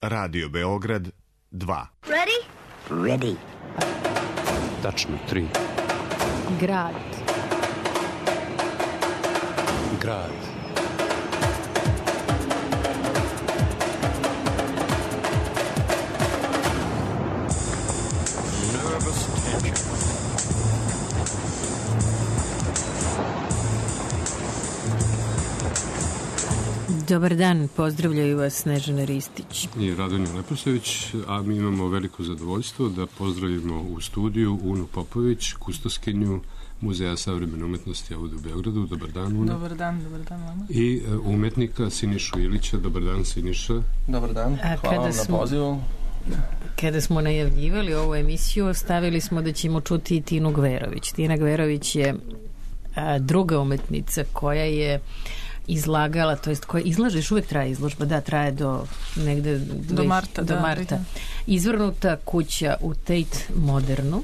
Radio Beograd 2. Ready? Ready. Tačno 3. Grad. Grad. Nervous tension. Dobar dan, pozdravljaju vas Snežana Ristić i Radonja Leposević, a mi imamo veliko zadovoljstvo da pozdravimo u studiju Unu Popović, kustoskinju Muzeja savremene umetnosti ovdje u Beogradu. Dobar dan, Una. Dobar dan vama. I umetnika Sinišu Ilića. Dobar dan, Siniša. Dobar dan, hvala vam na pozivu. Kada smo najavljivali ovu emisiju, stavili smo da ćemo čuti i Tinu Gverović. Tina Gverović je druga umetnica koja je izlagala, to jest koja izlažeš, uvek traje izložba, da, traje do negde do marta. Da. Izvrnuta kuća u Tate Modernu,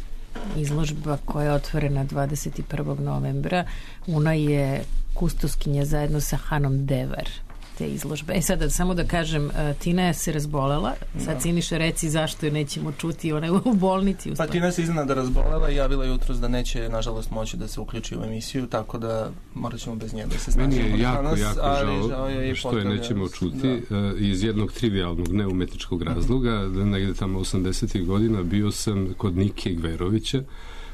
izložba koja je otvorena 21. novembra. Una je kustoskinja zajedno sa Hanom Devar te izložbe. Sada samo da kažem, Tina se razbolela, sad Siniša reci zašto je nećemo čuti, ona je u bolnici. Pa Tina se iznenada razbolela i javila jutros da neće nažalost moći da se uključi u emisiju, tako da morat ćemo bez nje da se snažimo. Meni je jako žao što je nećemo čuti iz jednog trivialnog neumetničkog razloga. Negde tamo 80. godina bio sam kod Nike Gverovića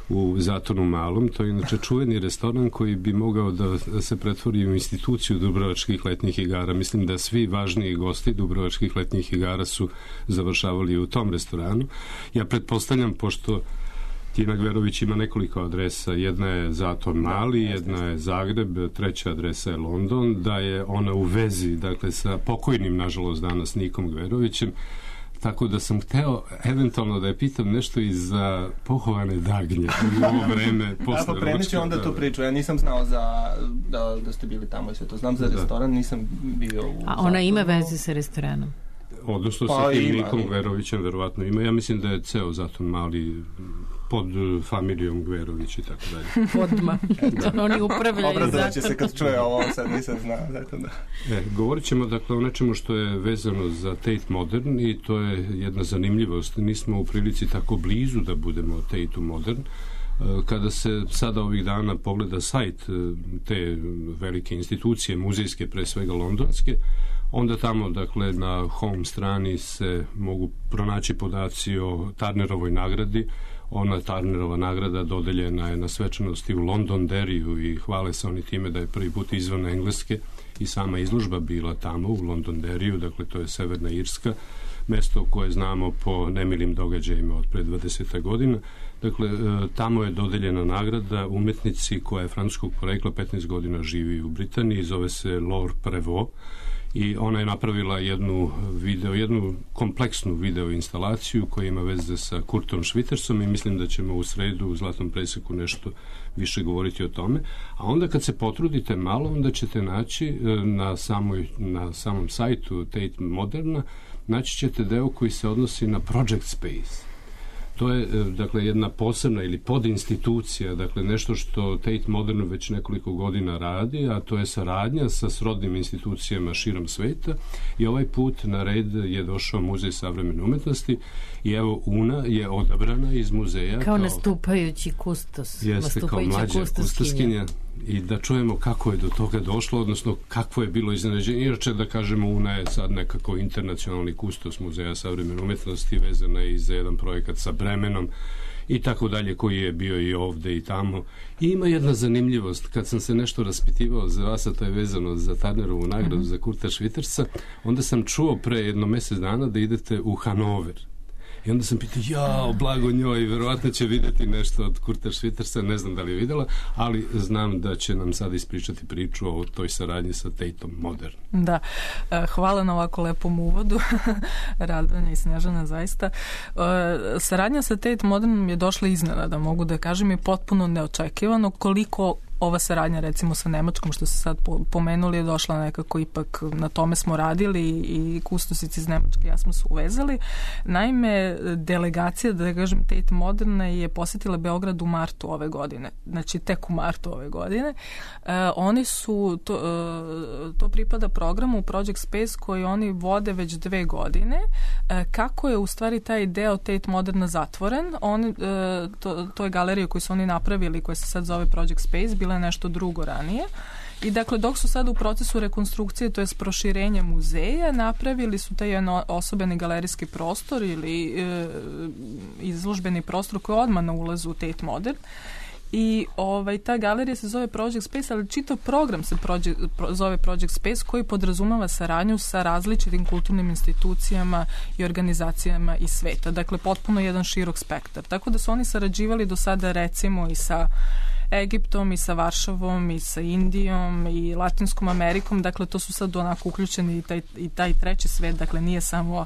u Zatonu Malom. To je inače čuveni restoran koji bi mogao da se pretvori u instituciju Dubrovačkih letnjih igara. Mislim da svi važniji gosti Dubrovačkih letnjih igara su završavali u tom restoranu. Ja pretpostavljam, pošto Tina Gverović ima nekoliko adresa, jedna je Zaton Mali, jedna je Zagreb, treća adresa je London, da je ona u vezi, dakle, sa pokojnim, nažalost, danas Nikom Gverovićem. Tako da sam hteo eventualno da je pitam nešto i za pohovane dagnje u ovo vreme posle ručka. Prenit ću onda tu priču. Ja nisam znao da ste bili tamo i sve to. Znam za restoran, nisam bio u... A ona ima veze sa restoranom? Odnosno sa tim Nikom Gverovićem verovatno ima. Ja mislim da je ceo Zaton Mali pod familijom Gverović i tako dalje. Podma. Oni upravljaju. Obrazovat će se kad čuje ovo, sad nisam znao. Govorit ćemo dakle o nečemu što je vezano za Tate Modern i to je jedna zanimljivost. Nismo u prilici tako blizu da budemo Tate Modern. Kada se sada ovih dana pogleda sajt te velike institucije, muzejske, pre svega londonske, onda tamo, dakle, na home strani se mogu pronaći podaci o Turnerovoj nagradi. Ona Turnerova nagrada dodeljena je na svečanosti u Londonderryu i hvale se oni time da je prvi put izvan Engleske i sama izložba bila tamo u Londonderryu, dakle to je Severna Irska, mesto koje znamo po nemilim događajima od pre 20 godina. Dakle, tamo je dodeljena nagrada umetnici koja je francuskog porekla, 15 godina živi u Britaniji, zove se Laure Prévost i ona je napravila jednu kompleksnu video instalaciju koja ima veze sa Kurtom Schwittersom i mislim da ćemo u sredu u Zlatnom preseku nešto više govoriti o tome. A onda kad se potrudite malo, onda ćete naći na samom sajtu Tate Moderna, naći ćete deo koji se odnosi na Project Space. To je, dakle, jedna posebna ili podinstitucija, dakle, nešto što Tate Modern već nekoliko godina radi, a to je saradnja sa srodnim institucijama širom sveta i ovaj put na red je došao Muzej savremene umetnosti i evo Una je odabrana iz muzeja kao nastupajući kustos. Jeste, kao mlađa kustoskinja. I da čujemo kako je do toga došlo, odnosno kakvo je bilo iznenađenje. Inače, da kažemo, Una je sad nekako internacionalni kustos Muzeja savremene umetnosti, vezana je i za jedan projekat sa Bremenom i tako dalje, koji je bio i ovde i tamo. I ima jedna zanimljivost, kad sam se nešto raspitivao za vas, a to je vezano za Turnerovu nagradu za Kurta Schwittersa, onda sam čuo pre jedno mesec dana da idete u Hanover. I onda sam pitao, blago njoj, verovatno će videti nešto od Kurta Schwittersa, ne znam da li je videla, ali znam da će nam sad ispričati priču o toj saradnji sa Tateom Modern. Da, hvala na ovako lepom uvodu, Radonja i Snežana, zaista. Saradnja sa Tate Modernom je došla iznenada, mogu da kažem, i potpuno neočekivano, koliko ova saradnja recimo sa Nemačkom što ste sad pomenuli je došla nekako ipak, na tome smo radili i kustosici iz Nemačke ja smo se uvezali. Naime, delegacija, da kažem, Tate Moderna je posjetila Beograd u martu ove godine. Znači, tek u martu ove godine. Oni su, to pripada programu Project Space koji oni vode već 2 godine. Kako je u stvari taj deo Tate Moderna zatvoren? To je galerija koju su oni napravili, koja se sad zove Project Space, bila je nešto drugo ranije. I dakle, dok su sada u procesu rekonstrukcije, to je proširenja muzeja, napravili su taj jedan osobeni galerijski prostor ili izložbeni prostor koji je odmah na ulazu u Tate Modern. I ta galerija se zove Project Space, ali čitav program se zove Project Space koji podrazumava saradnju sa različitim kulturnim institucijama i organizacijama iz sveta. Dakle, potpuno jedan širok spektar. Tako da su oni sarađivali do sada recimo i sa Egiptom i sa Varšavom i sa Indijom i Latinskom Amerikom, dakle to su sad onako uključeni i taj treći svet, dakle nije samo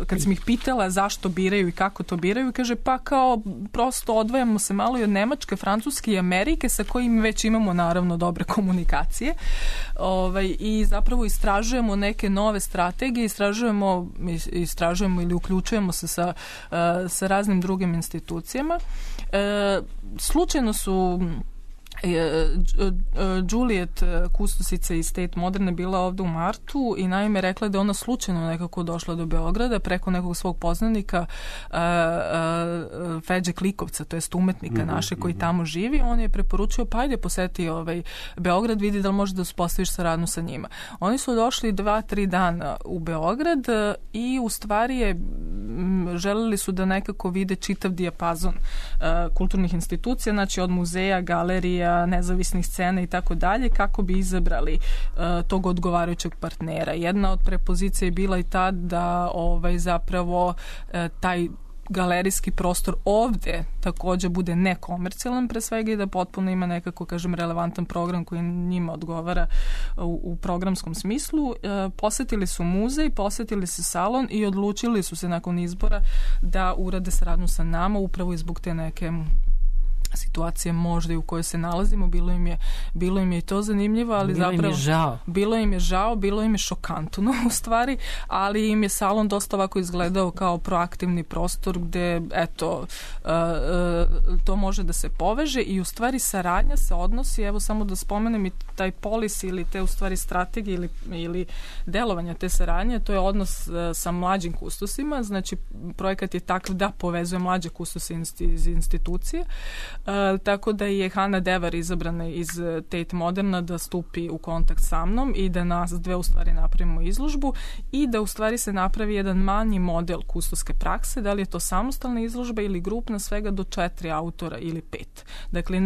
kad sam ih pitala zašto biraju i kako to biraju, kaže pa kao prosto odvajamo se malo i od Nemačke, Francuske i Amerike sa kojim već imamo naravno dobre komunikacije i zapravo istražujemo neke nove strategije, istražujemo ili uključujemo se sa raznim drugim institucijama. Slučajno su Juliet, kustosica iz Tate Moderna, bila ovdje u martu i naime rekla da je ona slučajno nekako došla do Beograda preko nekog svog poznanika Feđe Klikovca, to jest umetnika naše koji tamo živi. On je preporučio pa ajde poseti Beograd, vidi da li može da uspostaviš saradnju sa njima. Oni su došli 2-3 dana u Beograd i u stvari želeli su da nekako vide čitav dijapazon kulturnih institucija, znači od muzeja, galerija, nezavisnih scena i tako dalje, kako bi izabrali tog odgovarajućeg partnera. Jedna od prepozicija je bila i ta da zapravo taj galerijski prostor ovdje također bude nekomercijalan pre svega i da potpuno ima nekako, kažem, relevantan program koji njima odgovara u programskom smislu. Posjetili su muzej, posjetili su salon i odlučili su se nakon izbora da urade saradnju sa nama upravo i zbog te neke situacije možda i u kojoj se nalazimo. Bilo im je i to zanimljivo, ali zapravo bilo im je žao, bilo im je šokantno u stvari, ali im je salon dosta ovako izgledao kao proaktivni prostor gde to može da se poveže i u stvari saradnja se odnosi, evo samo da spomenem i taj policy ili te u stvari strategije ili delovanja te saradnje, to je odnos sa mlađim kustosima, znači projekat je takav da povezuje mlađe kustose iz institucije. Tako da je Hana Devar izabrana iz Tate Moderna da stupi u kontakt sa mnom i da nas dve u stvari napravimo izložbu i da u stvari se napravi jedan manji model kustoske prakse, da li je to samostalna izložba ili grupna, svega do 4 autora ili 5. Dakle,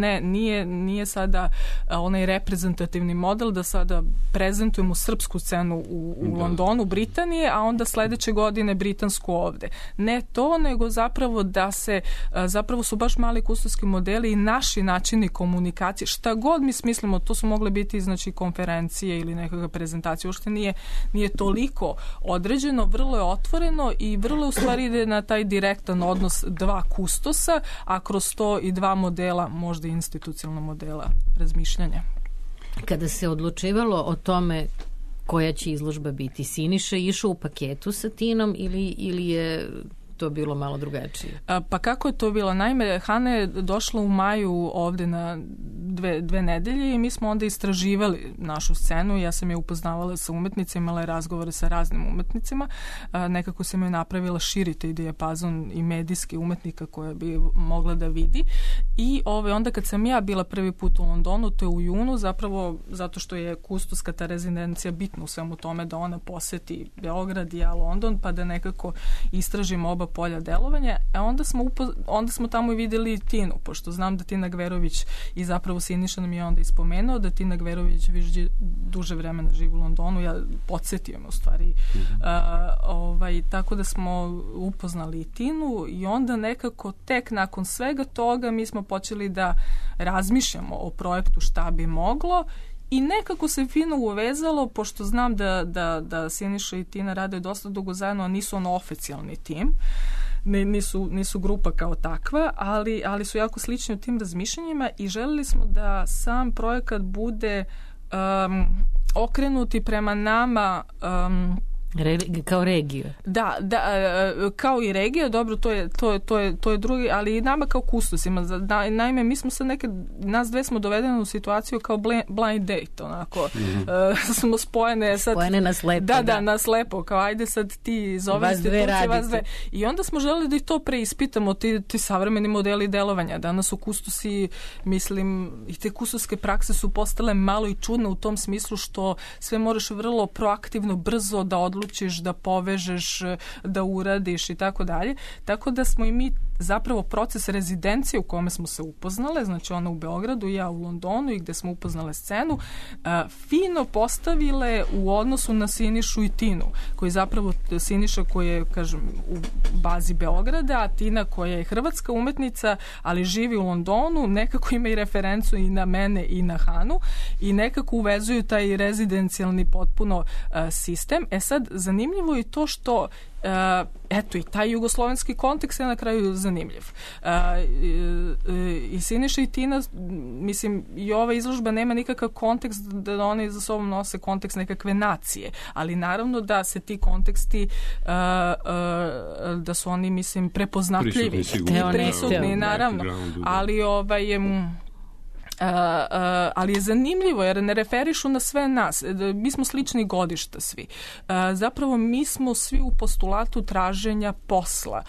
nije sada onaj reprezentativni model da sada prezentujemo srpsku scenu u Londonu, Britanije, a onda sledeće godine britansku ovde. Ne to, nego zapravo da se, zapravo su baš mali kustoski modeli i naši načini komunikacije, šta god mi smislimo, to su mogle biti znači konferencije ili nekakve prezentacije, uopšte nije toliko određeno, vrlo je otvoreno i vrlo u stvari ide na taj direktan odnos 2 kustosa, a kroz to i 2 modela, možda institucionalnog modela razmišljanja. Kada se odlučivalo o tome koja će izložba biti, Siniša išao u paketu sa Tinom ili je to bilo malo drugačije? Pa kako je to bilo? Naime, Hana je došla u maju ovde na 2 nedelje i mi smo onda istraživali našu scenu. Ja sam je upoznavala sa umetnicima, imala je razgovore sa raznim umetnicima. Nekako sam je napravila širi taj dijapazon i medijski umetnika koja bi mogla da vidi. I onda kad sam ja bila prvi put u Londonu, to je u junu, zapravo zato što je kustoska ta rezidencija bitna u svemu tome da ona poseti Beograd i ja London, pa da nekako istražimo oba polja delovanja, a onda smo tamo i videli Tinu, pošto znam da Tina Gverović i zapravo Siniša nam je onda ispomenuo da Tina Gverović duže vremena živi u Londonu, ja podsjetio me u stvari. Tako da smo upoznali i Tinu i onda nekako tek nakon svega toga mi smo počeli da razmišljamo o projektu šta bi moglo i nekako se fino uvezalo, pošto znam da Siniša i Tina rade dosta dugo zajedno, a nisu oficijalni tim. nisu grupa kao takva, ali su jako slični u tim razmišljanjima i želili smo da sam projekat bude okrenuti prema nama kao regiju. Da, kao i regija, dobro, to je drugi, ali i nama kao kustosima. Naime, mi smo sad nas dve smo dovedene u situaciju kao blind date, onako. Smo spojene sad. Spojene na slepo. Da, na slepo, kao ajde sad ti iz ove institucije, vas dve. I onda smo želeli da i to preispitamo, ti savremeni modeli delovanja. Danas u kustosi, mislim, i te kustoske prakse su postale malo i čudne u tom smislu što sve moraš vrlo proaktivno, brzo da odlučiš, da povežeš, da uradiš i tako dalje. Tako da smo i mi zapravo proces rezidencije u kome smo se upoznale, znači ona u Beogradu, ja u Londonu i gde smo upoznale scenu, fino postavile u odnosu na Sinišu i Tinu, koji zapravo Siniša koji je, kažem, u bazi Beograda, a Tina koja je hrvatska umetnica, ali živi u Londonu, nekako ima i referencu i na mene i na Hanu i nekako uvezuju taj rezidencijalni potpuno sistem. Sad, zanimljivo je to što eto i taj jugoslovenski kontekst je na kraju zanimljiv. I Siniša i Tina, mislim, i ova izložba nema nikakav kontekst da oni za sobom nose kontekst nekakve nacije, ali naravno da se ti konteksti da su oni, mislim, prepoznatljivi. Prisutni, naravno. Ali ali je zanimljivo jer ne referišu na sve nas. Mi smo slični godišta svi. Zapravo mi smo svi u postulatu traženja posla,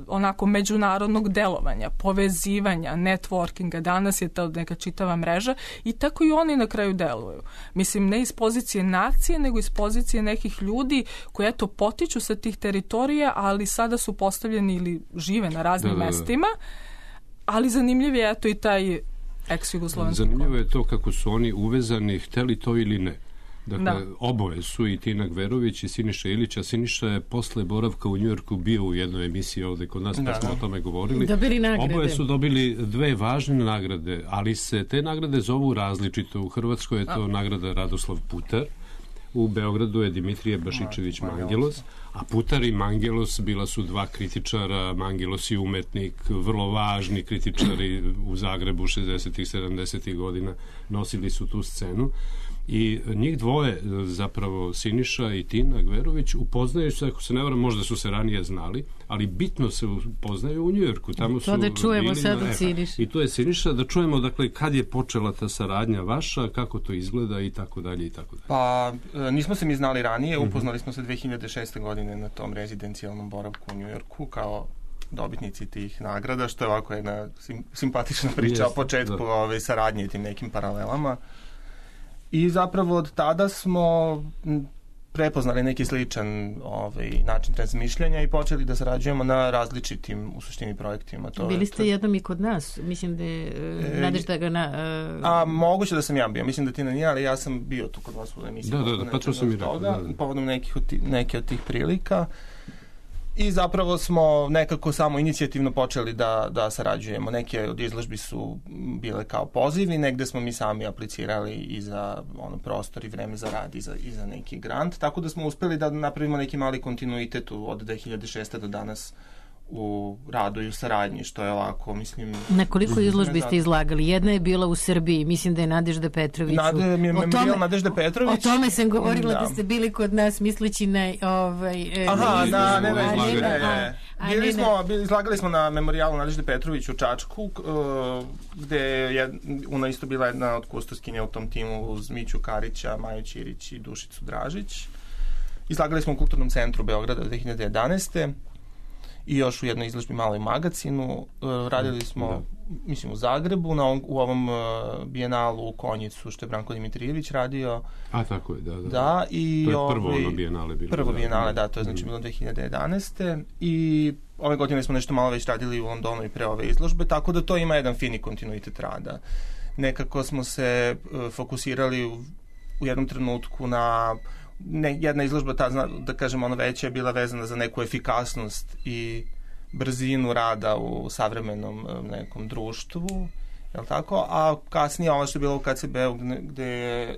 onako međunarodnog delovanja, povezivanja, networkinga. Danas je to neka čitava mreža i tako i oni na kraju deluju. Mislim, ne iz pozicije nacije, nego iz pozicije nekih ljudi koji eto potiču sa tih teritorija, ali sada su postavljeni ili žive na raznim mestima. Ali zanimljiv je eto i taj ex-jugoslovenski. Zanimljivo je to kako su oni uvezani, hteli to ili ne. Dakle, oboje su i Tina Gverović i Siniša Ilić, a Siniša je posle boravka u Njujorku bio u jednoj emisiji ovde kod nas, pa smo o tome govorili. Oboje su dobili 2 važne nagrade, ali se te nagrade zovu različito. U Hrvatskoj je to nagrada Radoslav Putar, u Beogradu je Dimitrije Bašičević Mangelos, a Putar i Mangelos bila su 2 kritičara. Mangelos je umetnik, vrlo važni kritičari u Zagrebu 60-ih, 70-ih godina nosili su tu scenu. I njih dvoje, zapravo Siniša i Tina Gverović, upoznaju se, ako se ne varam, možda su se ranije znali, ali bitno se upoznaju u Njujorku. Tamo to da čujemo sad od Siniša. I to je Siniša, da čujemo, dakle, kad je počela ta saradnja vaša, kako to izgleda i tako dalje i tako dalje. Pa, nismo se mi znali ranije, upoznali smo se 2006. godine na tom rezidencijalnom boravku u Njujorku kao dobitnici tih nagrada, što je ovako jedna simpatična priča o početku saradnje i tim nekim paralelama. I zapravo od tada smo prepoznali neki sličan način razmišljanja i počeli da sarađujemo na različitim, u suštini, projektima. Bili ste jednom i kod nas? Mislim da je Nadežda ga moguće da sam ja bio. Mislim da ti nije, ali ja sam bio tu kod vas u emisiji. Da, pa to sam i rekao. Povodom neke od tih prilika. I zapravo smo nekako samo inicijativno počeli da sarađujemo. Neke od izložbi su bile kao pozivi, negde smo mi sami aplicirali i za prostor i vreme za rad i za neki grant, tako da smo uspeli da napravimo neki mali kontinuitet od 2006. do danas u radu i u saradnji, što je ovako, mislim... Na koliko izložbi ste izlagali? Jedna je bila u Srbiji, mislim da je Nadežda Petrović. Nadežda Petrović. O tome sam govorila da ste bili kod nas, misleći na... Izlagali smo na memorijalu Nadežde Petrović u Čačku, gde je ona isto bila jedna od kustoskinja u tom timu uz Miću Karića, Maju Ćirić i Dušicu Dražić. Izlagali smo u Kulturnom centru Beograda 2011. I još u jednoj izložbi Maloj magacinu. Radili smo, mislim, u Zagrebu, u ovom bijenalu u Konjicu, što je Branko Dimitrijević radio. A, tako je, da. Da, i to je prvo ono bijenale bilo. Prvo bijenale, da, to je znači bilo 2011. I ove godine smo nešto malo već radili u Londonu i pre ove izložbe, tako da to ima jedan fini kontinuitet rada. Nekako smo se fokusirali u jednom trenutku na... jedna izložba, da kažem, ona veća je bila vezana za neku efikasnost i brzinu rada u savremenom nekom društvu, je li tako? A kasnije ovo što je bilo u KCB-u gde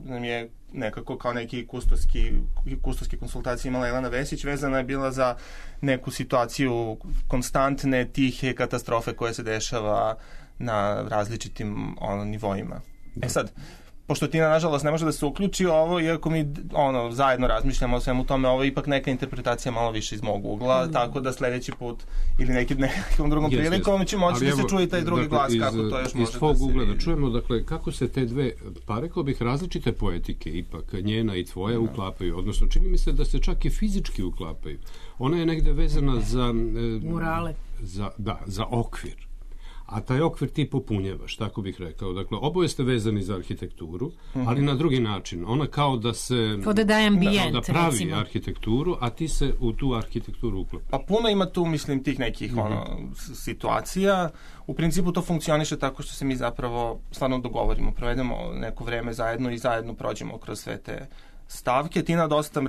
nam je nekako kao neki kustoski konsultacije imala Jelena Vesić, vezana je bila za neku situaciju konstantne, tihe katastrofe koje se dešava na različitim nivoima. Sad, pošto Tina nažalost ne može da se uključi ovo, iako mi zajedno razmišljamo o svemu tome, ovo je ipak neka interpretacija malo više iz mog ugla, tako da sledeći put ili nekom drugom prilikom će moći da se čuje taj drugi glas, kako to još može da se... Iz svog ugla da čujemo, dakle, kako se te dve, pa rekao bih, različite poetike, ipak njena i tvoja uklapaju, odnosno čini mi se da se čak i fizički uklapaju. Ona je negde vezana za... Murale. Za okvir. A taj okvir ti popunjavaš, tako bih rekao. Dakle, oboje ste vezani za arhitekturu, ali na drugi način. Ona kao da se... Kao da daje ambijent, da pravi arhitekturu, a ti se u tu arhitekturu uklapa. Pa puno ima tu, mislim, tih nekih situacija. U principu to funkcioniše tako što se mi zapravo stvarno dogovorimo, provedemo neko vreme zajedno i zajedno prođemo kroz sve te stavke. Tina dosta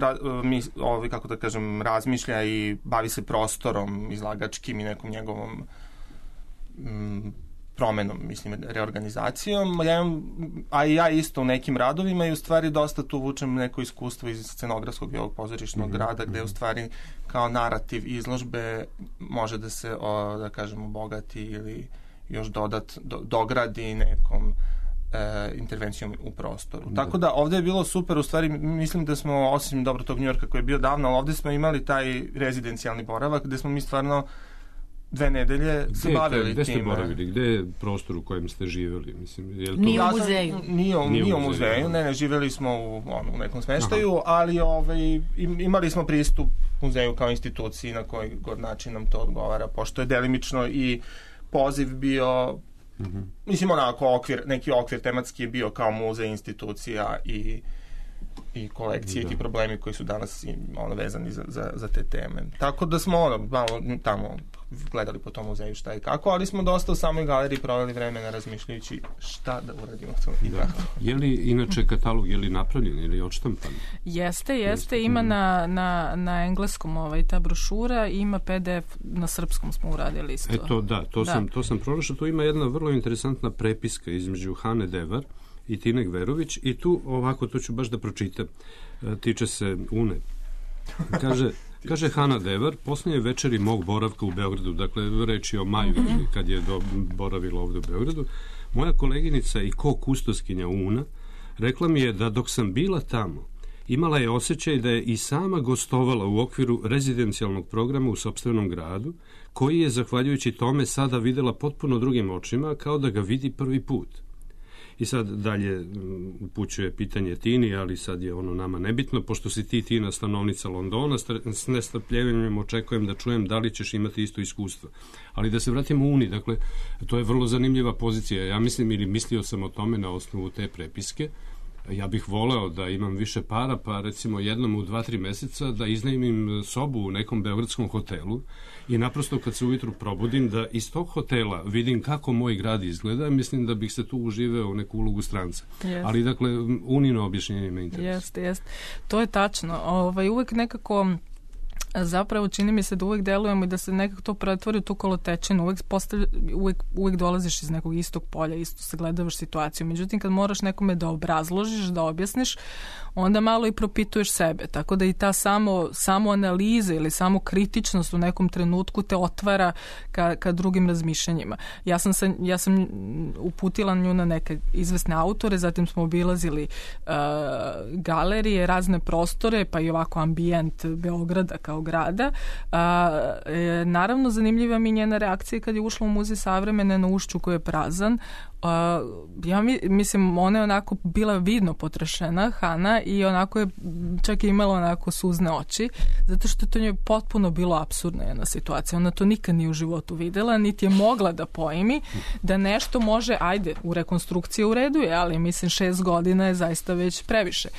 kako da kažem, razmišlja i bavi se prostorom izlagačkim i nekom njegovom promenom, mislim, reorganizacijom, a i ja isto u nekim radovima i u stvari dosta tu vučem neko iskustvo iz scenografskog i ovog pozorišnog rada, gde u stvari kao narativ izložbe može da se, da kažemo, obogati ili još dogradi nekom intervencijom u prostoru. Tako da ovde je bilo super, u stvari mislim da smo, osim dobro tog Njujorka koji je bio davno, ali ovde smo imali taj rezidencijalni boravak gde smo mi stvarno 2 nedelje se bavili time. Gde ste boravili? Gde je prostor u kojem ste živjeli? Mislim, je li to... Nije u muzeju. Nije u muzeju, ne, živjeli smo u nekom smeštaju, ali imali smo pristup muzeju kao instituciji na koji god način nam to odgovara, pošto je delimično i poziv bio, mislim, onako neki okvir tematski je bio kao muzej, institucija i kolekcije i ti problemi koji su danas vezani za te teme. Tako da smo malo tamo gledali po tom muzeju šta i kako, ali smo dosta u samoj galeriji proveli vremena razmišljajući šta da uradimo. Je li inače katalog, je li napravljen ili odštampan? Jeste, ima na engleskom ta brošura, ima PDF na srpskom smo uradili isto. To sam pronašao. Tu ima jedna vrlo interesantna prepiska između Hane Devar i Tine Gverović i tu ovako, to ću baš da pročitam, tiče se Une. Kaže Hana Devar, posljednje večeri mog boravka u Beogradu, dakle reč je o maju kad je boravila ovde u Beogradu, moja koleginica i kustoskinja Una rekla mi je da dok sam bila tamo imala je osjećaj da je i sama gostovala u okviru rezidencijalnog programa u sopstvenom gradu, koji je, zahvaljujući tome, sada videla potpuno drugim očima, kao da ga vidi prvi put. I sad dalje upućuje pitanje Tini, ali sad je ono nama nebitno, pošto si ti, Tina, stanovnica Londona, s nestrpljenjem očekujem da čujem da li ćeš imati isto iskustvo. Ali da se vratimo u Uni, dakle, to je vrlo zanimljiva pozicija. Ja mislim, ili mislio sam o tome na osnovu te prepiske, ja bih voleo da imam više para, pa recimo jednom u 2-3 meseca da iznajmim sobu u nekom beogradskom hotelu i naprosto kad se ujutru probudim da iz tog hotela vidim kako moj grad izgleda, mislim da bih se tu uživeo u neku ulogu stranca. Yes. Ali dakle, Unino objašnjenje me interesuje. Jeste. To je tačno. Uvek nekako zapravo čini mi se da uvek delujemo i da se nekako to pretvori u tu kolotečinu. Uvek dolaziš iz nekog istog polja, isto sagledavaš situaciju. Međutim, kad moraš nekome da obrazložiš, da objasniš, onda malo i propituješ sebe. Tako da i ta samo analiza ili samo kritičnost u nekom trenutku te otvara ka drugim razmišljanjima. Ja sam uputila nju na neke izvesne autore, zatim smo obilazili galerije, razne prostore, pa i ovako ambijent Beograda kao grada. Naravno, zanimljiva mi njena reakcija kad je ušla u Muzej savremene na Ušću koji je prazan. Ja mislim, ona je onako bila vidno potrešena, Hana, i onako je čak imala onako suzne oči, zato što to njoj potpuno bilo apsurdna jedna situacija. Ona to nikad nije u životu videla, niti je mogla da pojmi da nešto može, ajde, u rekonstrukciji u redu je, ali mislim 6 godina je zaista već previše.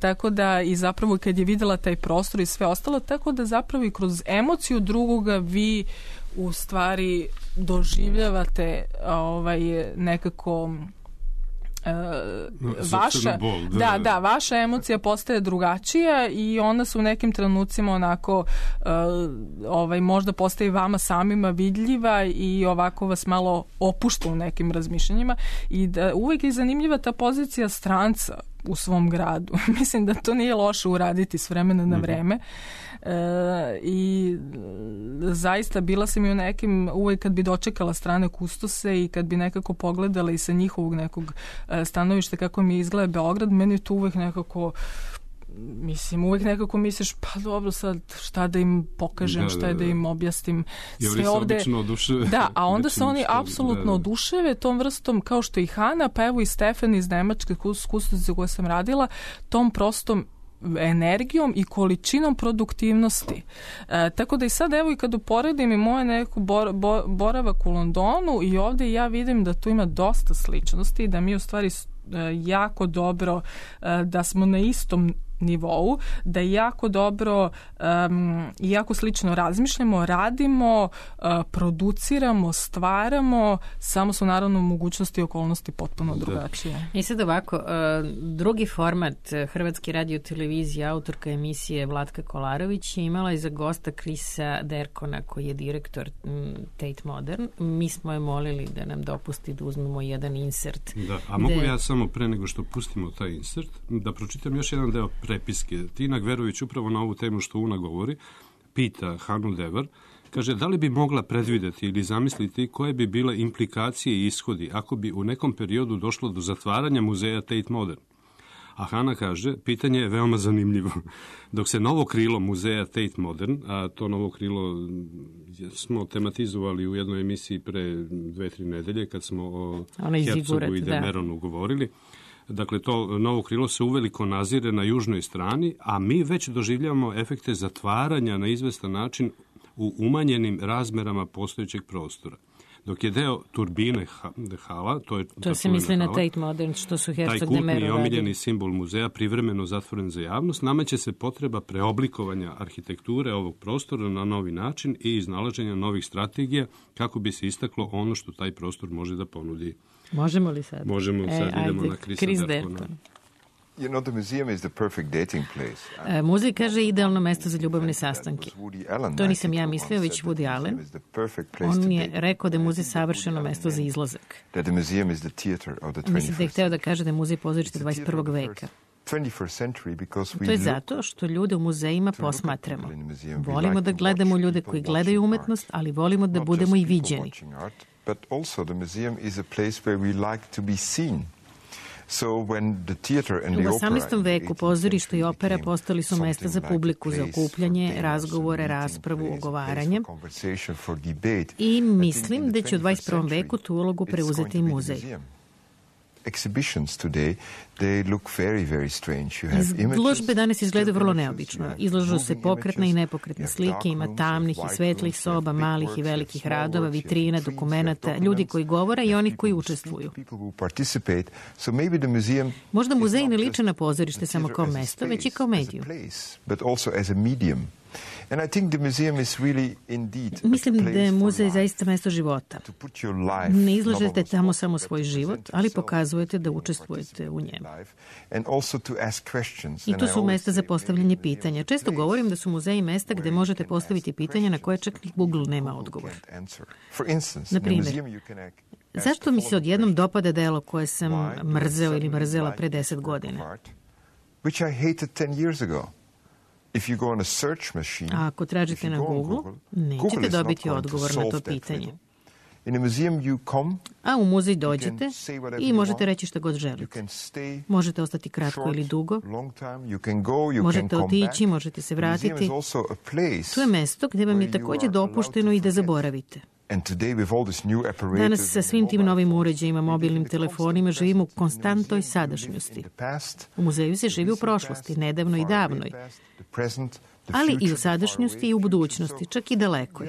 Tako da i zapravo kad je videla taj prostor i sve ostalo, tako da zapravo i kroz emociju drugoga vi u stvari doživljavate nekako vaša emocija postaje drugačija i ona se u nekim trenucima onako možda postaje vama samima vidljiva i ovako vas malo opušta u nekim razmišljanjima i da uvek je zanimljiva ta pozicija stranca u svom gradu. Mislim da to nije loše uraditi s vremena na vreme. I zaista bila sam i u nekim, uvijek kad bi dočekala strane kustose i kad bi nekako pogledala i sa njihovog nekog stanovišta kako mi izgleda Beograd, meni je to uvijek nekako, mislim, uvijek nekako misliš, pa dobro, sad šta da im pokažem, šta je da im objasnim. Sve ovde, da, a onda se oni apsolutno oduševe tom vrstom, kao što i Hana, pa evo i Stefan iz Nemačke kustosice koje sam radila, tom prostom energijom i količinom produktivnosti. Tako da i sad evo i kad uporedim i moje neku boravak u Londonu i ovdje ja vidim da tu ima dosta sličnosti, da mi u stvari jako dobro, da smo na istom nivou, da jako dobro i jako slično razmišljamo, radimo, produciramo, stvaramo, samo su naravno mogućnosti i okolnosti potpuno drugačije. I sad ovako, drugi format Hrvatske radio televizije, autorka emisije Vlatka Kolarović je imala i za gosta Krisa Derkona, koji je direktor Tate Modern. Mi smo je molili da nam dopusti da uzmemo jedan insert. Da, a mogu ja samo pre nego što pustimo taj insert, da pročitam još jedan deo prepiske. Tina Gverović upravo na ovu temu što Una govori, pita Hanu Devar, kaže, da li bi mogla predvideti ili zamisliti koje bi bile implikacije i ishodi ako bi u nekom periodu došlo do zatvaranja muzeja Tate Modern? A Hana kaže, pitanje je veoma zanimljivo. Dok se novo krilo muzeja Tate Modern, a to novo krilo smo tematizovali u jednoj emisiji pre 2-3 nedelje kad smo o Hercogu i Demeronu govorili. Dakle, to novo krilo se uveliko nazire na južnoj strani, a mi već doživljavamo efekte zatvaranja na izvestan način u umanjenim razmerama postojećeg prostora. Dok je deo turbine hala, to se misli na Tate Modern, što su Hercog Taj kultni i omiljeni simbol muzeja privremeno zatvoren za javnost, nameće se potreba preoblikovanja arhitekture ovog prostora na novi način i iznalaženja novih strategija kako bi se istaklo ono što taj prostor može da ponudi. Možemo li sad? Možemo, sad idemo na Krisa Derkona. You know, the museum is the perfect dating place. Muzej kaže idealno mesto za ljubavne sastanke. To nisam ja mislio, već Woody Allen. On je rekao da je muzej savršeno mesto za izlazak. Mislim da je hteo da kaže da je muzej pozorište 21. veka. To je zato što ljude u muzejima posmatramo. Volimo da gledamo ljude koji gledaju umetnost, ali volimo da budemo i viđeni. But also the museum is a place where we like to be seen. U 18. veku pozorište i opera postali su mesta za publiku, za okupljanje, razgovore, raspravu, ogovaranje. I mislim da će u 21. veku tu ulogu preuzeti i muzej. Izložbe danas izgledaju vrlo neobično. Izlažu se pokretne i nepokretne slike, ima tamnih i svetlih soba, malih i velikih radova, vitrina, dokumenata, ljudi koji govore i oni koji učestvuju. Možda muzej ne liče na pozorište samo kao mesto, već i kao mediju. Mislim da je muzej zaista mesto života. Ne izlažete tamo samo svoj život, ali pokazujete da učestvujete u njemu. I to su mesta za postavljanje pitanja. Često govorim da su muzeji mesta gde možete postaviti pitanja na koje čak ni Google nema odgovor. Na primjer, zašto mi se odjednom dopada delo koje sam mrzeo ili mrzela pre 10 godina? A ako tražite na Google, nećete dobiti odgovor na to pitanje. A u muzej dođete i možete reći što god želite. Možete ostati kratko ili dugo. Možete otići, možete se vratiti. To je mesto gde vam je također dopušteno i da zaboravite. Danas sa svim tim novim uređajima, mobilnim telefonima, živimo u konstantnoj sadašnjosti. U muzeju se živi u prošlosti, nedavno i davnoj, ali i u sadašnjosti i u budućnosti, čak i dalekoj.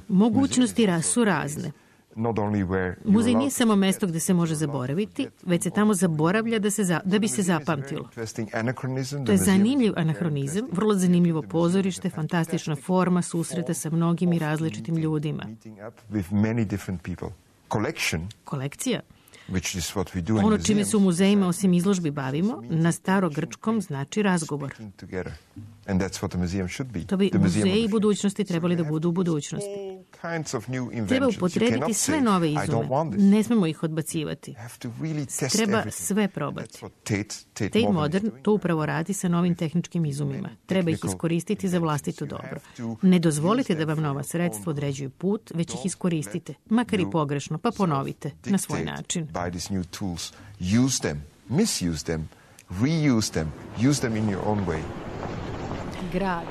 Mogućnosti su razne. Muzej nije samo mesto gde se može zaboraviti, već se tamo zaboravlja da bi se zapamtilo. To je zanimljiv anahronizam, vrlo zanimljivo pozorište, fantastična forma susreta sa mnogim i različitim ljudima. Kolekcija. Ono čime se u muzejima osim izložbi bavimo, na starogrčkom znači razgovor. To bi muzeji budućnosti trebali da budu u budućnosti. Treba upotrebiti sve nove izume. Ne smemo ih odbacivati. Treba sve probati. Tate Modern to upravo radi sa novim tehničkim izumima. Treba ih iskoristiti za vlastito dobro. Ne dozvolite da vam nova sredstva određuju put, već ih iskoristite. Makar i pogrešno, pa ponovite na svoj način. Use them, misuse them, reuse them, use them in your own way. Grad.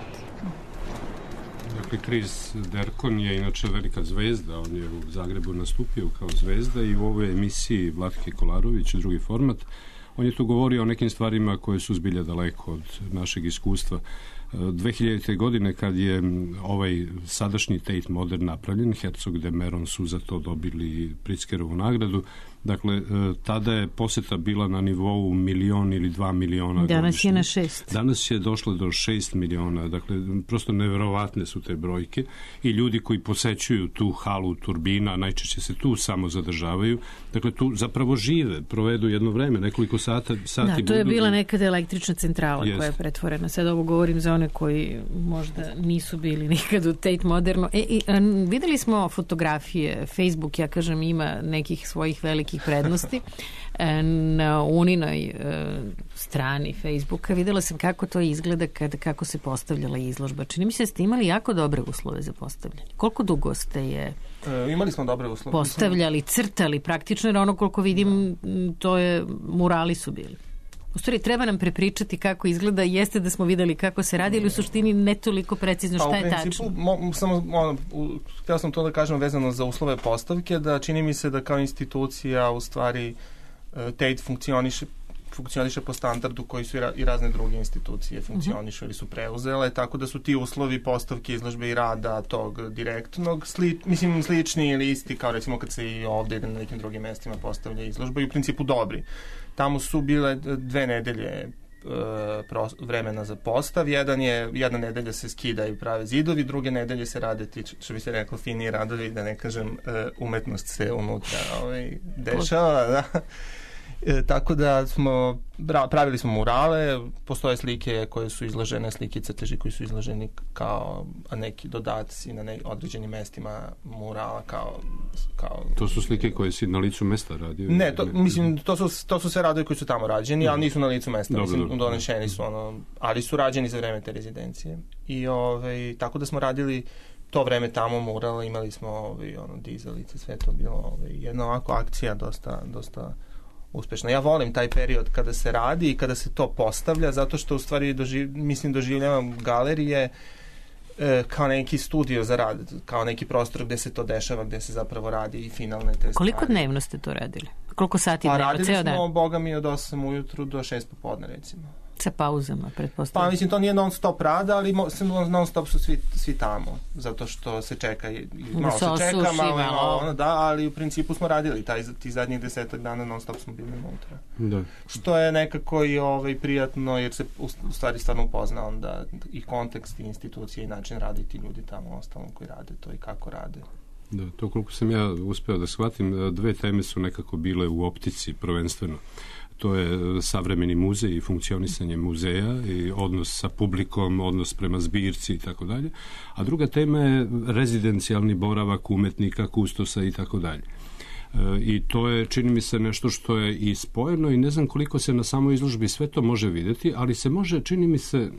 Dakle, Chris Derkon je inače velika zvezda, on je u Zagrebu nastupio kao zvezda i u ovoj emisiji Vlatke Kolarović, drugi format, on je tu govorio o nekim stvarima koje su zbilja daleko od našeg iskustva. 2000. godine kad je ovaj sadašnji Tate Modern napravljen, Herzog de Meuron su za to dobili Pritzkerovu nagradu. Dakle, tada je poseta bila na nivou 1 ili 2 miliona. Danas je na 6. Danas je došlo do 6 miliona. Dakle, prosto neverovatne su te brojke i ljudi koji posećuju tu halu turbina, najčešće se tu samo zadržavaju. Dakle, tu zapravo žive, provedu jedno vreme, nekoliko sati. Da, to je bila nekada električna centrala koja je pretvorena. Sad ovo govorim za one koji možda nisu bili nikad u Tate Modernu. Videli smo fotografije, Facebook, ja kažem, ima nekih svojih velikih prednosti. Na Uninoj strani Facebooka videla sam kako to izgleda kako se postavljala izložba. Čini mi se da ste imali jako dobre uslove za postavljanje. Koliko dugo ste je imali smo dobre uslove. Postavljali, crtali praktično, jer ono koliko vidim to je, murali su bili. U stvari, treba nam prepričati kako izgleda, jeste da smo videli kako se radi, ali u suštini ne toliko precizno šta je tačno. Htio sam to da kažem vezano za uslove postavke, da čini mi se da kao institucija u stvari Tate funkcioniše po standardu koji su i razne druge institucije funkcionišu ili su preuzele, tako da su ti uslovi postavke, izložbe i rada tog direktnog slični ili isti kao recimo kad se i ovde ili na nekim drugim mestima postavlja izložba i u principu dobri. Tamo su bile 2 nedelje vremena za postav. Jedna nedelja se skida i prave zidovi, druge nedelje se rade ti, što bi se reklo, finiji radovi, da ne kažem umetnost se unutra dešava, da. Tako da pravili smo murale, postoje slike koje su izložene, slike i crteži koji su izloženi kao neki dodaci na određenim mestima murala kao... To su slike koje si na licu mesta radio? Ne, to su sve radovi koji su tamo rađeni, ali nisu na licu mesta, donešeni su ali su rađeni za vreme te rezidencije. I tako da smo radili to vreme tamo murala, imali smo dizalice, sve to bilo jedna ovako akcija dosta uspešno. Ja volim taj period kada se radi i kada se to postavlja, zato što u stvari doživljavam galerije kao neki studio za rad, kao neki prostor gde se to dešava, gde se zapravo radi i finalne te stvari. Koliko dnevno ste to radili? Koliko sati dnevno? Radili smo, boga mi, od 8 ujutru do 6 popodne, recimo. Sa pauzama, pretpostavljam. Pa to nije non stop rada, ali non stop su svi tamo, zato što se čeka i malo se čeka, malo ali u principu smo radili ti zadnjih 10 dana non stop smo bili unutra. Da. Što je nekako i prijatno, jer se u stvari stvarno upozna onda i kontekst i institucije i način radi ti ljudi tamo ostalom koji rade to i kako rade. Da, to koliko sam ja uspeo da shvatim, 2 teme su nekako bile u optici prvenstveno. To je savremeni muzej i funkcionisanje muzeja i odnos sa publikom, odnos prema zbirci i tako dalje. A druga tema je rezidencijalni boravak umetnika, kustosa i tako dalje. I to je, čini mi se, nešto što je i spojeno i ne znam koliko se na samoj izložbi sve to može vidjeti, ali se može, čini mi se,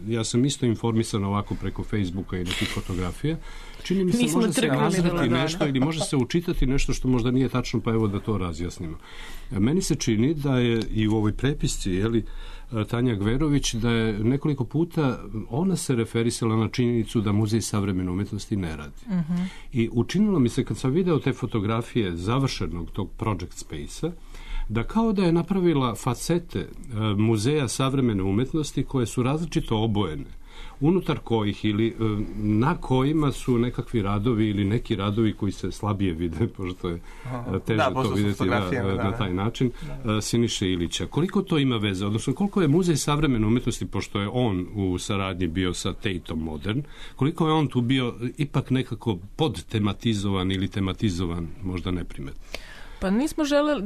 ja sam isto informisan ovako preko Facebooka i nekih fotografija, čini mi se može se nazrati nešto ili može se učitati nešto što možda nije tačno, pa evo da to razjasnimo. Meni se čini da je i u ovoj prepisci, Tanja Gverović, da je nekoliko puta ona se referisala na činjenicu da Muzej savremene umetnosti ne radi. I učinilo mi se, kad sam video te fotografije završenog tog project space-a, da kao da je napravila facete Muzeja savremene umetnosti koje su različito obojene, unutar kojih ili na kojima su nekakvi radovi ili neki radovi koji se slabije vide, pošto je teže to vidjeti na taj način, Siniše Ilića. Koliko to ima veze? Odnosno, koliko je Muzej savremene umetnosti, pošto je on u saradnji bio sa Tateom Modern, koliko je on tu bio ipak nekako podtematizovan ili tematizovan, možda neprimetno? Pa nismo želeli,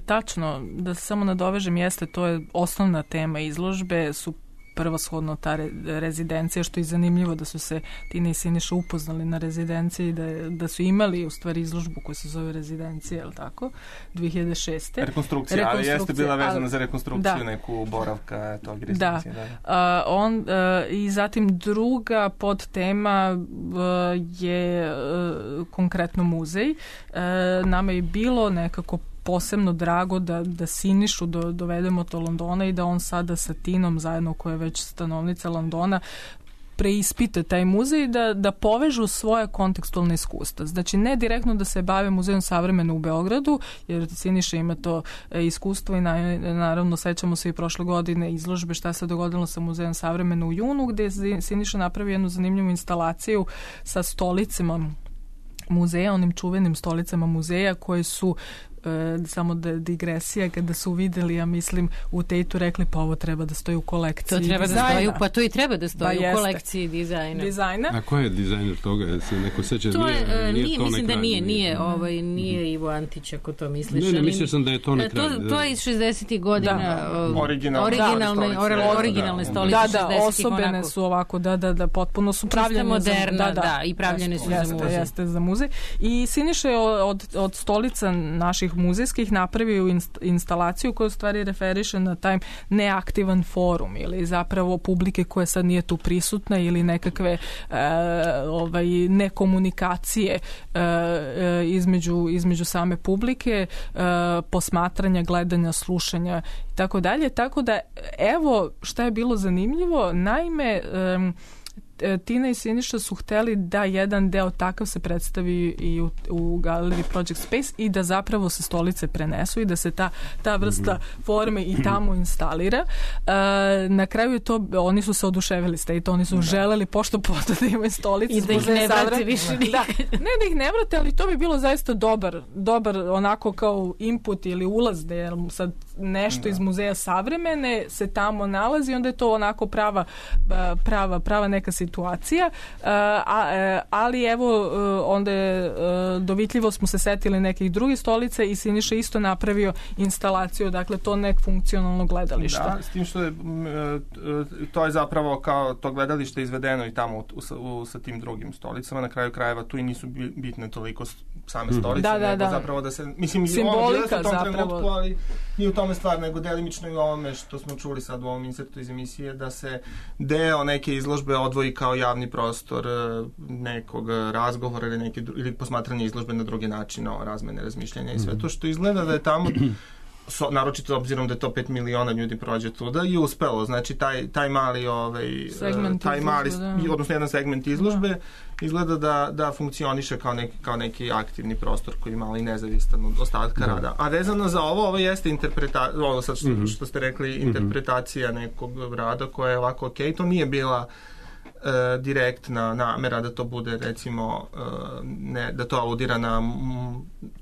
tačno, da se samo nadovežem, to je osnovna tema izložbe, su prvoshodno ta rezidencija, što je zanimljivo da su se Tina i Siniša upoznali na rezidenciji, da su imali u stvari izložbu koja se zove rezidencija, je li tako? 2006. Rekonstrukcija, ali jeste bila vezana za rekonstrukciju neku boravka tog rezidencije. I zatim druga podtema je konkretno muzej. Nama je bilo nekako posebno drago da Sinišu dovedemo do Londona i da on sada sa Tinom zajedno, koja je već stanovnica Londona, preispite taj muzej, da povežu svoje kontekstualne iskustva. Znači, ne direktno da se bave muzejom savremeno u Beogradu, jer Siniša ima to iskustvo i naravno sećamo se i prošle godine izložbe šta se dogodilo sa muzejom savremeno u junu, gde je Siniša napravio jednu zanimljivu instalaciju sa stolicama muzeja, onim čuvenim stolicama muzeja koje su samo digresija, kada su videli, ja mislim, u Tateu rekli, pa ovo treba da stoji u kolekciji dizajna. To i treba da stoji u kolekciji dizajna. A ko je dizajner toga? Se neko seća? Mislim da nije Ivo Antić, ako to misliš. Ne, mislio sam da je to na kraju. To je iz 60. godina. Originalne stolice. Da, osobene su ovako, da, potpuno su pravljene moderna, i pravljene su za muzej. Jeste za muzej. I Siniša je od stolica naših muzejskih napravio instalaciju koja u stvari referiše na taj neaktivan forum ili zapravo publike koja sad nije tu prisutna ili nekakve nekomunikacije između same publike, posmatranja, gledanja, slušanja i tako dalje. Tako da, evo šta je bilo zanimljivo, naime, Tina i Siniša su hteli da jedan deo takav se predstavi i u galeriji Project Space i da zapravo se stolice prenesu i da se ta vrsta forme i tamo instalira. Na kraju je to, oni su se oduševili s Tateu, oni su želeli pošto da imaju stolice i da ih ne vrate više nikad. Ne da ih ne vrate, ali to bi bilo zaista dobar onako kao input ili ulaz da je sad nešto iz muzeja savremene se tamo nalazi, onda je to onako prava neka situacija, ali evo onda je dovitljivo smo se setili nekih drugih stolica i Siniša isto napravio instalaciju, dakle to nek funkcionalno gledalište. Da, s tim što je to je zapravo kao to gledalište izvedeno i tamo sa tim drugim stolicama, na kraju krajeva tu i nisu bitne toliko same stolice, nego zapravo da se, mislim, simbolika u tom trenutku, ali nije u tome stvar, nego delimično i u ovome što smo čuli sad u ovom insertu iz emisije, da se deo neke izložbe odvoji kao javni prostor nekog razgovora ili posmatranje izložbe na drugi način, razmene razmišljanja i sve to što izgleda da je tamo naročito obzirom da je to 5 miliona ljudi prođe tuda i uspelo, znači taj mali odnosno jedan segment izložbe izgleda da funkcioniše kao neki aktivni prostor koji je malo i nezavistan od ostatka rada. A vezano za ovo jeste ovo sad što ste rekli, interpretacija nekog rada koja je ovako to nije bila direktna namera da to bude recimo da to aludira na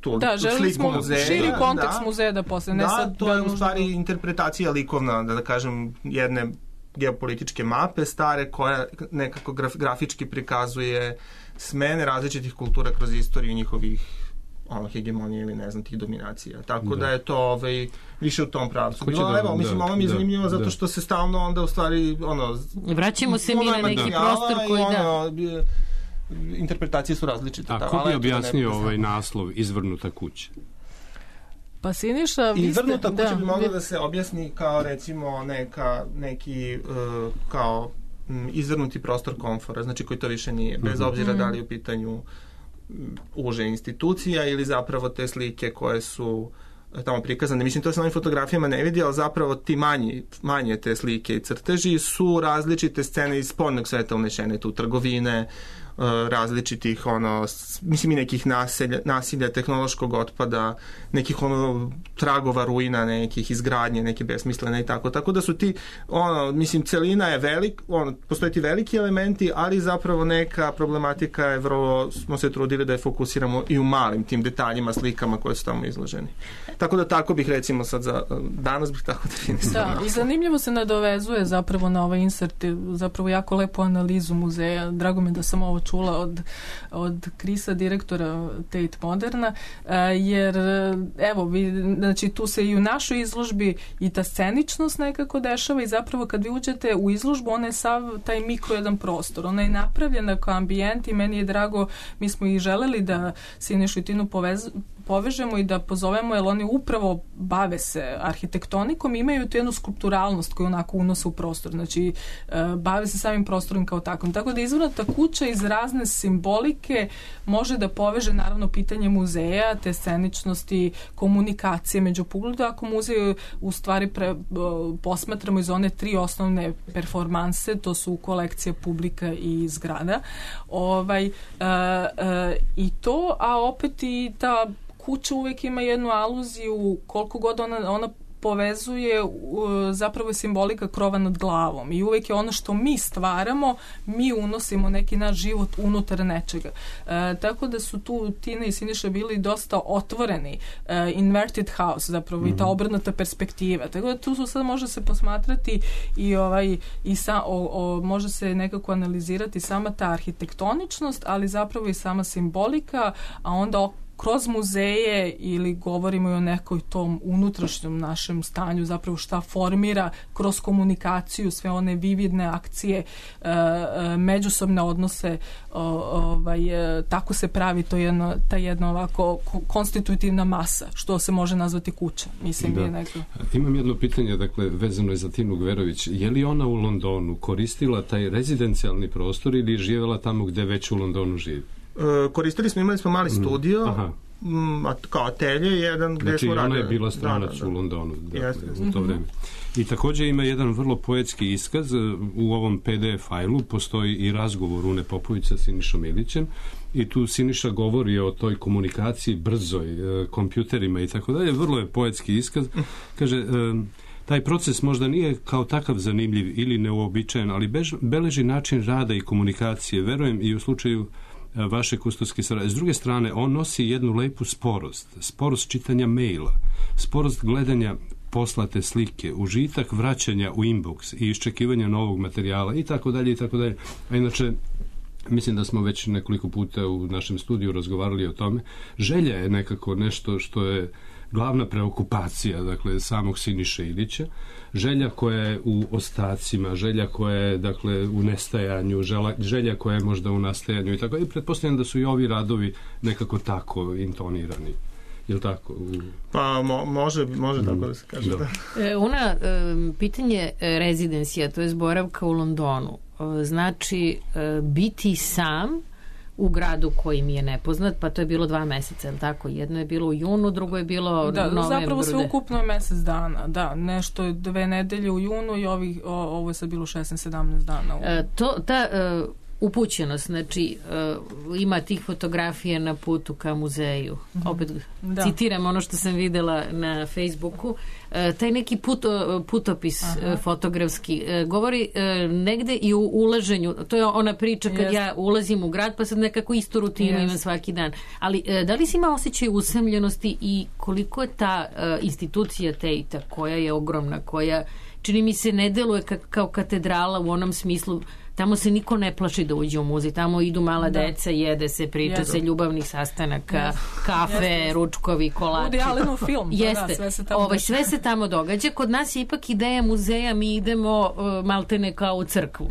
tu sliku muzeja. Širi kontekst muzeja da postane. To je u stvari interpretacija likovna, da kažem, jedne geopolitičke mape stare koja nekako grafički prikazuje smene različitih kultura kroz istoriju njihovih hegemonije ili ne znam tih dominacija. Tako da je to više u tom pravcu. Ovo mi je zanimljivo zato što se stalno onda u stvari vraćamo se mi na neki prostor koji interpretacije su različite. A ko bi objasnio ovaj naslov Izvrnuta kuća? Pa Siniša, Izvrnuta kuća bi mogla da se objasni kao recimo neki kao izvrnuti prostor komfora, znači koji to više nije, bez obzira da li je u pitanju uže institucija ili zapravo te slike koje su tamo prikazane. Mislim, to se na ovim fotografijama ne vidi, ali zapravo ti manje te slike i crteži su različite scene iz spoljnog sveta unešene tu, trgovine, različitih mislim i nekih nasilja, tehnološkog otpada, nekih tragova ruina, nekih izgradnje, neke besmislene i tako da su ti mislim celina je postoje ti veliki elementi, ali zapravo neka problematika je vrlo, smo se trudili da je fokusiramo i u malim tim detaljima, slikama koje su tamo izloženi. Tako da tako bih recimo sad danas bih tako definisao. Da, i zanimljivo se nadovezuje zapravo na ovaj insert, zapravo jako lepu analizu muzeja. Drago mi da sam ovo čula od Krisa, direktora Tate Moderna, jer evo, znači tu se i u našoj izložbi i ta sceničnost nekako dešava i zapravo kad vi uđete u izložbu, ona je sav taj mikro jedan prostor. Ona je napravljena kao ambijent i meni je drago, mi smo i želeli da Sinišu i Tinu povežemo i da pozovemo, jer oni upravo bave se arhitektonikom i imaju tu jednu skulpturalnost koju onako unose u prostor. Znači, bave se samim prostorom kao takvom. Tako da izvrnuta kuća iz razne simbolike može da poveže naravno pitanje muzeja, te sceničnosti, komunikacije među pogledu. Ako muzej u stvari posmatramo iz one 3 osnovne performanse, to su kolekcija, publika i zgrada. I to, a opet i ta kuća uvek ima jednu aluziju, koliko god ona povezuje, zapravo je simbolika krova nad glavom i uvek je ono što mi stvaramo, mi unosimo neki naš život unutar nečega. Tako da su tu Tina i Siniša bili dosta otvoreni, inverted house zapravo, i ta obrnuta perspektiva. Tako da tu su sad može se posmatrati može se nekako analizirati sama ta arhitektoničnost, ali zapravo i sama simbolika, a onda kroz muzeje ili govorimo i o nekoj tom unutrašnjem našem stanju, zapravo šta formira kroz komunikaciju, sve one vividne akcije, međusobne odnose, tako se pravi ta jedna ovako konstitutivna masa, što se može nazvati kuća. Mislim da. Imam jedno pitanje, dakle, vezano je za Tinu Gverović. Je li ona u Londonu koristila taj rezidencijalni prostor ili je živjela tamo gde već u Londonu živi? Imali smo mali studio, kao atelje, jedan gde smo radili. Znači, ona je bila stranac u Londonu u to vreme. I također ima jedan vrlo poetski iskaz. U ovom PDF fajlu postoji i razgovor Une Popović sa Sinišom Ilićem i tu Siniša govori o toj komunikaciji brzoj, kompjuterima i tako dalje. Vrlo je poetski iskaz. Kaže, taj proces možda nije kao takav zanimljiv ili neuobičajen, ali beleži način rada i komunikacije. Verujem i u slučaju vaše kustoske saradnje. S druge strane, on nosi jednu lepu sporost čitanja maila, sporost gledanja poslate slike, užitak vraćanja u inbox i iščekivanja novog materijala i tako dalje i tako dalje. A inače, mislim da smo već nekoliko puta u našem studiju razgovarali o tome. Želja je nekako nešto što je glavna preokupacija, dakle, samog Siniše Ilića. Želja koja je u ostacima, želja koja je, dakle, u nestajanju, želja koja je možda u nastajanju i tako. I pretpostavljam da su i ovi radovi nekako tako intonirani. Je li tako? Pa može tako da se kaže. Da. Pitanje rezidencija, to je boravka u Londonu, znači biti sam u gradu koji mi je nepoznat, pa to je bilo 2 meseca, je li tako? Jedno je bilo u junu, drugo je bilo u novembru. Zapravo sve ukupno je mesec dana, da, nešto je 2 nedelje u junu i ovo je sad bilo 16-17 dana. Ta upućenost, znači ima tih fotografija na putu ka muzeju. Opet citiram ono što sam videla na Facebooku. Taj neki putopis fotografski govori negde i u ulaženju. To je ona priča kad ja ulazim u grad pa sad nekako istu rutinu imam svaki dan. Ali da li si ima osjećaj usamljenosti i koliko je ta institucija Tate-a koja je ogromna, koja čini mi se ne deluje kao katedrala u onom smislu. Tamo se niko ne plaši da uđe u muzej. Tamo idu mala deca, jede se, priča se, ljubavnih sastanaka, kafe, ručkovi, kolači. Film. Jeste. Sve se tamo događa. Kod nas je ipak ideja muzeja, mi idemo maltene kao u crkvu.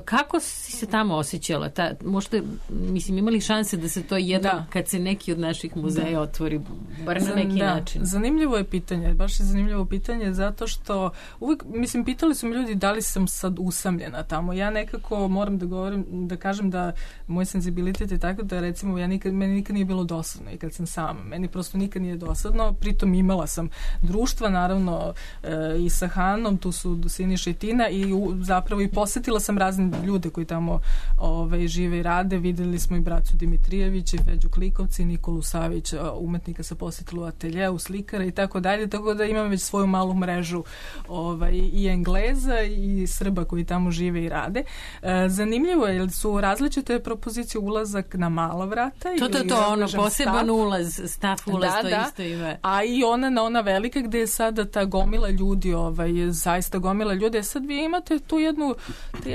Kako si se tamo osjećala? Možda, mislim, imali šanse da se to jedno, kad se neki od naših muzeja otvori, bar na neki način? Zanimljivo je pitanje, baš je zanimljivo pitanje, zato što uvijek, mislim, pitali su mi ljudi da li sam sad usamljena tamo. Ja nekako moram da kažem da moj senzibilitet je tako da, recimo, meni nikad nije bilo dosadno i kad sam sama. Meni prosto nikad nije dosadno, pritom imala sam društva, naravno, i sa Hanom, tu su Siniša i Tina i zapravo i posetila sam razne ljude koji tamo žive i rade. Videli smo i braću Dimitrijević i Feđu Klikovci, Nikolu Savić, umetnika sa posjetila u ateljeu, slikara i tako dalje, tako da imam već svoju malu mrežu i Engleza i Srba koji tamo žive i rade. Zanimljivo je, jer su različite propozicije ulazak na mala vrata. Poseban ulaz, staff ulaz, to isto ima. A i ona velika gde je sada ta gomila ljudi, zaista gomila ljudi. Sad vi imate tu jednu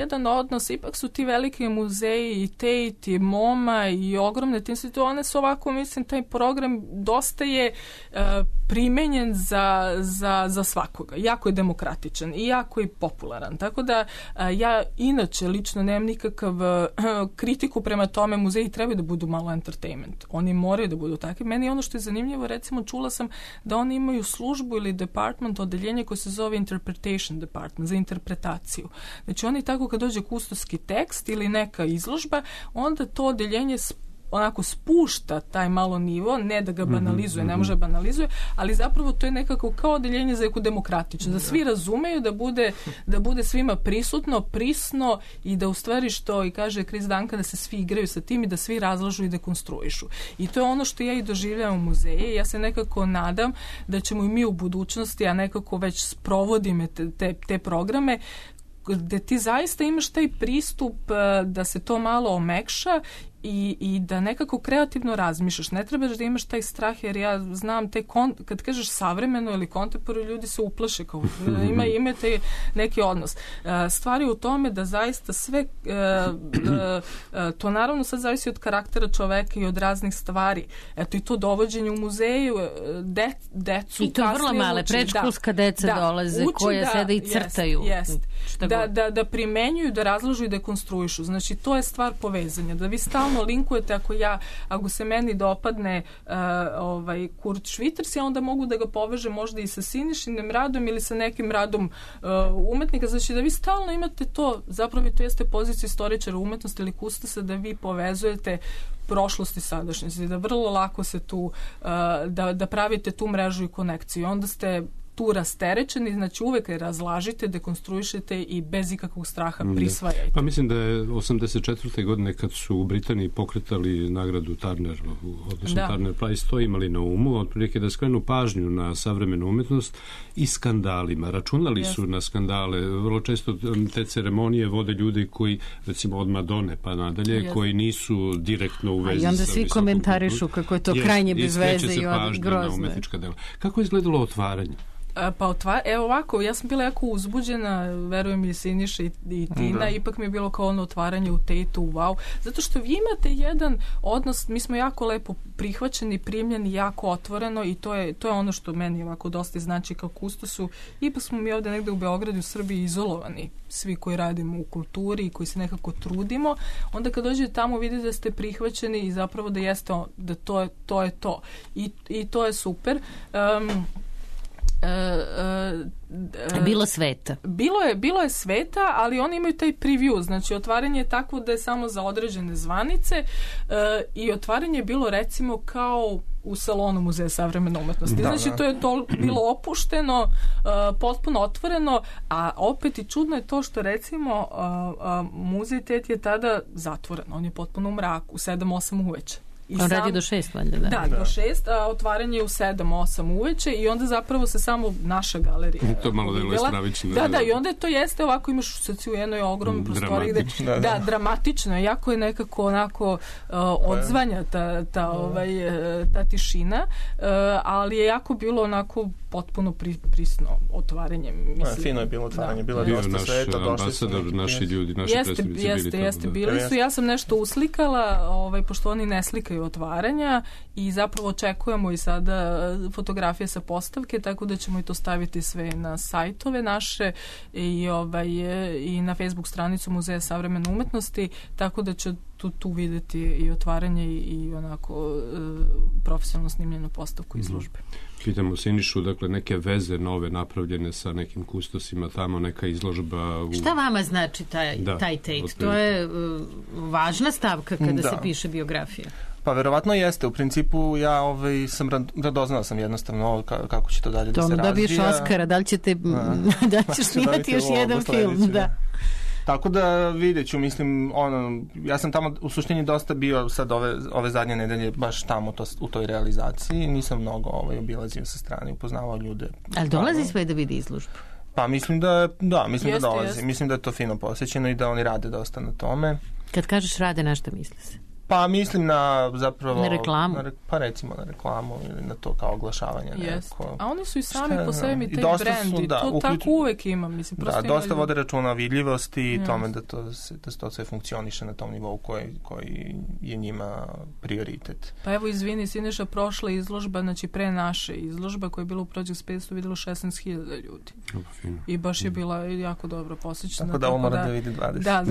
jedan odnos, ipak su ti veliki muzeji i Tate i MoMA i ogromne te institucije, one su ovako, mislim, taj program dosta je primenjen za svakoga. Jako je demokratičan i jako je popularan. Tako da ja inače lično nemam nikakav kritiku prema tome, muzeji trebaju da budu malo entertainment. Oni moraju da budu takvi. Meni ono što je zanimljivo, recimo čula sam da oni imaju službu ili department, odeljenje koje se zove interpretation department, za interpretaciju. Znači oni tako kad dođe kustoski tekst ili neka izložba, onda to odeljenje onako spušta taj malo nivo, ne da ga banalizuje, ne može banalizuje, ali zapravo to je nekako kao odeljenje za neku demokratično, da svi razumeju, da bude svima prisutno, prisno i da u stvari što i kaže Chris Duncan, da se svi igraju sa tim i da svi razlažu i dekonstruišu. I to je ono što ja i doživljavam u muzeje. Ja se nekako nadam da ćemo i mi u budućnosti, a nekako već sprovodimo te programe, gde ti zaista imaš taj pristup da se to malo omekša i da nekako kreativno razmišljaš. Ne trebaš da imaš taj strah, jer ja znam kad kažeš savremeno ili kontemporarno, ljudi se uplaše kao imate neki odnos. Stvar je u tome da zaista sve to naravno sad zavisi od karaktera čoveka i od raznih stvari. Eto i to dovođenje u muzeju decu. I to vrlo male predškolska deca dolaze koje sede i crtaju. Da primenjuju, da razložu i da konstruišu. Znači to je stvar povezanja. Da vi stalno linkujete, ako se meni dopadne Kurt Schwitters, ja onda mogu da ga povežem možda i sa Sinišinim radom ili sa nekim radom umetnika. Znači da vi stalno imate to, zapravo to jeste pozicija istoričara umetnosti ili kustosa, da vi povezujete prošlost i sadašnjost, da vrlo lako se tu da pravite tu mrežu i konekciju. Onda ste tu rasterećeni, znači uvek je razlažite, dekonstruišete i bez ikakvog straha prisvajajte. Pa mislim da je 84. godine kad su u Britaniji pokretali nagradu Turner, odnosno Turner Prize, to imali na umu, otprilike da skrenu pažnju na savremenu umetnost i skandalima. Računali su na skandale. Vrlo često te ceremonije vode ljudi koji, recimo od Madone pa nadalje, koji nisu direktno u vezi sa i onda svi komentarišu kako je to krajnje bez veze i grozno. Kako je izgledalo otvaranje? Evo ovako, ja sam bila jako uzbuđena, verujem i Siniša i Tina, ipak mi je bilo kao ono otvaranje u Tate-u, wow, zato što vi imate jedan odnos, mi smo jako lepo prihvaćeni, primljeni, jako otvoreno i to je ono što meni ovako dosta znači kao kustosu. Ipak smo mi ovde negde u Beogradu, u Srbiji izolовani, svi koji radimo u kulturi i koji se nekako trudimo, onda kad dođete tamo vidite da ste prihvaćeni i zapravo da jeste, da to je to. I to je super. Bilo sveta. Bilo je sveta, ali oni imaju taj preview, znači otvaranje je takvo da je samo za određene zvanice i otvaranje je bilo recimo kao u salonu Muzeja savremene umetnosti. Znači to je bilo opušteno, potpuno otvoreno, a opet i čudno je to što recimo muzej Tate je tada zatvoren, on je potpuno u mraku, u 7-8 uveče. On radi do 6, valjda, da. Da, do 6, a otvaranje je u 7-8 uveče i onda zapravo se samo naša galerija to malo deluje stravično. Da, i onda to jeste ovako, imaš u jednoj ogromnoj prostoriji gde, dramatično, jako je nekako onako odzvanja ta tišina, ali je jako bilo onako potpuno prisno otvaranje. Fino je bilo otvaranje, bilo je dosta sveta, došli su naši ljudi, naši predstavnici Jeste, bili su. Ja sam nešto uslikala, pošto oni ne slikaju otvaranja i zapravo očekujemo i sada fotografije sa postavke, tako da ćemo i to staviti sve na sajtove naše i na Facebook stranicu Muzeja savremene umetnosti, tako da će tu videti i otvaranje i onako profesionalno snimljenu postavku izložbe. Pitamo Sinišu, dakle, neke veze nove napravljene sa nekim kustosima tamo, neka izložba... Šta vama znači taj Tate? To je važna stavka kada se piše biografija. Pa verovatno jeste. U principu ja sam radoznao sam jednostavno kako će to dalje da se razvija. Dobiješ Oskara, da li ćeš snimati još jedan film? Da. Tako da vidjet ću, mislim, ja sam tamo u suštini dosta bio sad ove zadnje nedelje baš tamo u toj realizaciji, nisam mnogo obilazio sa strane, upoznavao ljude. Ali dolazi sve da vidi izložbu? Pa mislim da dolazi. Mislim da je to fino posjećeno i da oni rade dosta na tome. Kad kažeš rade, na šta misli se? Pa mislim na zapravo... Na reklamu. Pa recimo na reklamu ili na to kao oglašavanje. Neko. A oni su i sami po sebi taj brand i to tako uvek ima. Mislim, dosta vode računa o vidljivosti i tome da to sve funkcioniše na tom nivou koji je njima prioritet. Pa evo, izvini, Siniša, prošla izložba, znači pre naše izložba koja je bila u Project Space-u vidjelo 16.000 ljudi. I baš je bila jako dobro posjećena. Tako da ovo mora da vidi 20. Da.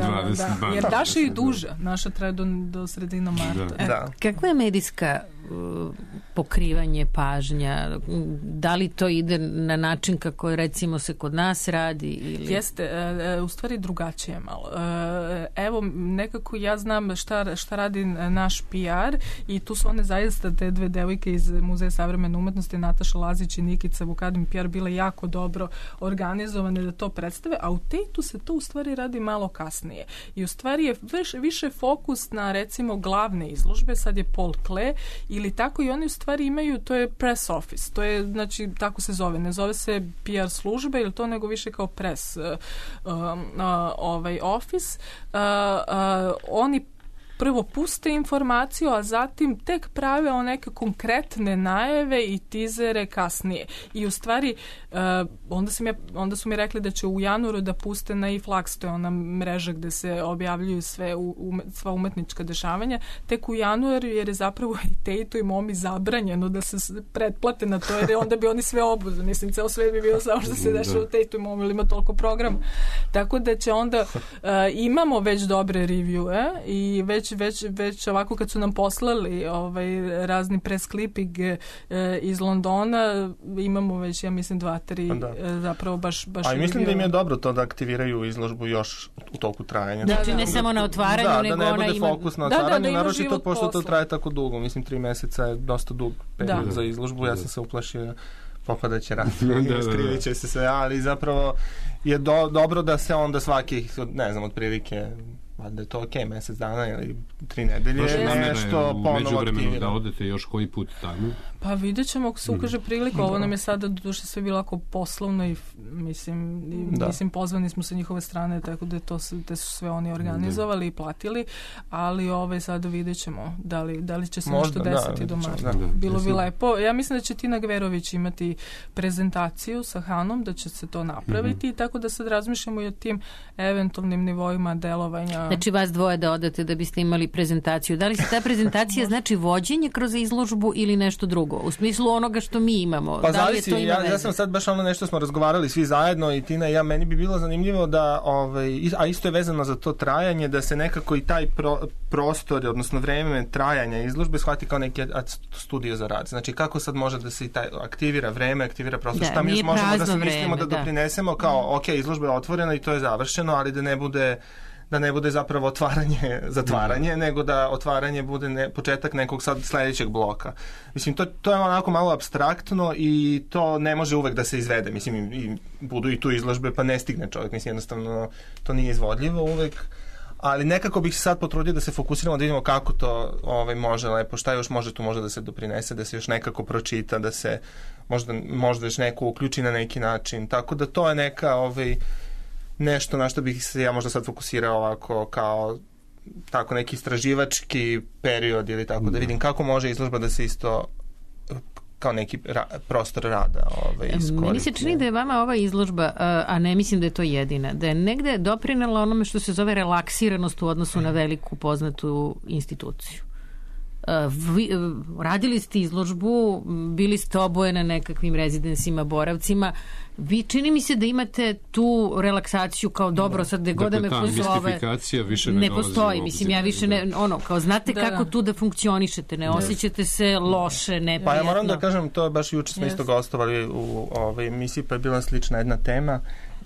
Jer naša je i duža. Naša traje do sredina marta. Da. Kakva je medijska pokrivanje, pažnja? Da li to ide na način kako recimo se kod nas radi? Ili... Jeste, u stvari drugačije malo. Evo, nekako ja znam šta radi naš PR i tu su one zaista te dve devojke iz Muzeja savremene umetnosti, Nataša Lazić i Nikica Vukadin PR, bile jako dobro organizovane da to predstave, a u Tejtu se to u stvari radi malo kasnije. I u stvari je više fokus na recimo glavne izložbe, sad je Paul Klee ili tako, i oni u stvari imaju, to je press office, to je, znači, tako se zove, ne zove se PR službe ili to, nego više kao press office. Oni prvo puste informaciju, a zatim tek prave o neke konkretne najave i tizere kasnije. I u stvari, onda su mi rekli da će u januaru da puste na iFlux, to je ona mreža gde se objavljuju sva umetnička dešavanja, tek u januaru, jer je zapravo i Tejtu i Momi zabranjeno da se pretplate na to, jer onda bi oni sve obuze. Mislim, ceo sve bi bio samo što se dešava u Tejtu i Momi, ili ima toliko programa. Tako da će onda, imamo već dobre review, i već ovako kad su nam poslali razni press clipping iz Londona, imamo već, ja mislim, 2-3 zapravo baš a mislim da im je dobro to da aktiviraju izložbu još u toku trajanja. Znači ne samo na otvaranju, nego da ona ne bude fokus na otvaranju, naročito pošto to traje tako dugo. Mislim, 3 meseca je dosta dug period za izložbu. Ja sam se uplašio popadaće rat, skrivit će se sve, ali zapravo je dobro da se onda svakih, ne znam, otprilike, da je to okej, mesec dana ili 3 nedelje, nešto ponovo aktivira. Da odete još koji put tamo? Pa vidjet ćemo ako se ukaže prilika. Ovo nam je sada doduše sve bilo ako poslovno i mislim pozvani smo sa njihove strane, tako da te su sve oni organizovali i platili, ali sada vidjet ćemo da li će se nešto desiti do marta. Bilo bi lepo. Ja mislim da će Tina Gverović imati prezentaciju sa Hanom, da će se to napraviti i tako da sad razmišljamo i o tim eventualnim nivoima delovanja. Znači vas dvoje da odete da biste imali prezentaciju. Da li se ta prezentacija znači vođenje kroz izložbu ili nešto drugo? U smislu onoga što mi imamo. Pa zavisi, ja sam sad baš nešto smo razgovarali svi zajedno i Tina i ja, meni bi bilo zanimljivo da, a isto je vezano za to trajanje, da se nekako i taj prostor, odnosno vreme trajanja izložbe shvati kao neki studio za rad. Znači kako sad može da se i taj aktivira vreme, aktivira prostor, šta mi još možemo da se mislimo da doprinesemo kao, ok, izložba je otvorena i to je završeno, ali da ne bude zapravo zatvaranje, nego da otvaranje bude početak nekog sad sledećeg bloka. Mislim, to je onako malo apstraktno i to ne može uvek da se izvede. Mislim, i budu i tu izložbe, pa ne stigne čovjek. Mislim, jednostavno, to nije izvodljivo uvek. Ali nekako bih se sad potrudio da se fokusiramo, da vidimo kako to može lepo, šta još može tu da se doprinese, da se još nekako pročita, da se možda još neko uključi na neki način. Tako da to je neka nešto na što bih se ja možda sad fokusirao ovako kao tako neki istraživački period ili tako, da vidim kako može izložba da se isto kao neki prostor rada iskoristi. Meni se čini da je vama ova izložba, a ne mislim da je to jedina, da je negde doprinela onome što se zove relaksiranost u odnosu na veliku poznatu instituciju. Radili ste izložbu, bili ste oboje na nekakvim rezidensima, boravcima. Vi čini mi se da imate tu relaksaciju kao dobro, sad gde god da me pozove. Ne postoji, mislim, ja više ne, kao znate kako tu da funkcionišete, ne osjećate se loše, neprijatno. Pa ja moram da kažem, to je baš juče smo isto gostovali u emisiji, pa je bila slična jedna tema.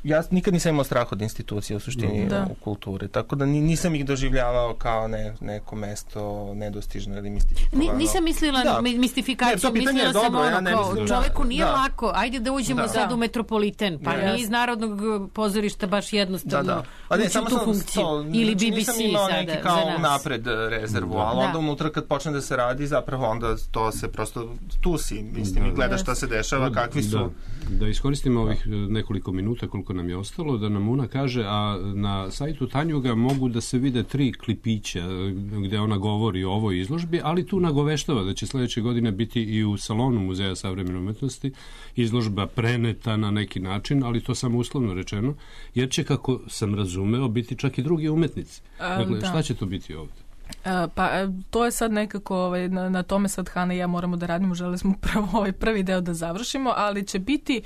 Ja nikad nisam imao strah od institucije u suštini u kulturi, tako da nisam ih doživljavao kao neko mesto nedostižno ili mistifikovano. Nisam mislila mistifikaciju, mislila sam kao čoveku nije lako, ajde da uđemo sad u Metropoliten, pa nije iz Narodnog pozorišta baš jednostavno ući u tu funkciju. Ili BBC nisam imao neki kao napred rezervu, ali onda unutra kad počne da se radi, zapravo onda to se prosto tu si, mislim, i gledaš šta se dešava, kakvi su. Da iskoristimo ovih nekoliko minuta koliko nam je ostalo da nam Una kaže, a na sajtu Tanjuga mogu da se vide 3 klipića gde ona govori o ovoj izložbi, ali tu nagoveštava da će sledeće godine biti i u salonu Muzeja savremene umetnosti izložba preneta na neki način, ali to samo uslovno rečeno, jer će, kako sam razumeo, biti čak i drugi umetnici. Dakle, šta će to biti ovde? Pa to je sad nekako, na tome sad Hana i ja moramo da radimo, želeli smo upravo ovaj prvi deo da završimo, ali će biti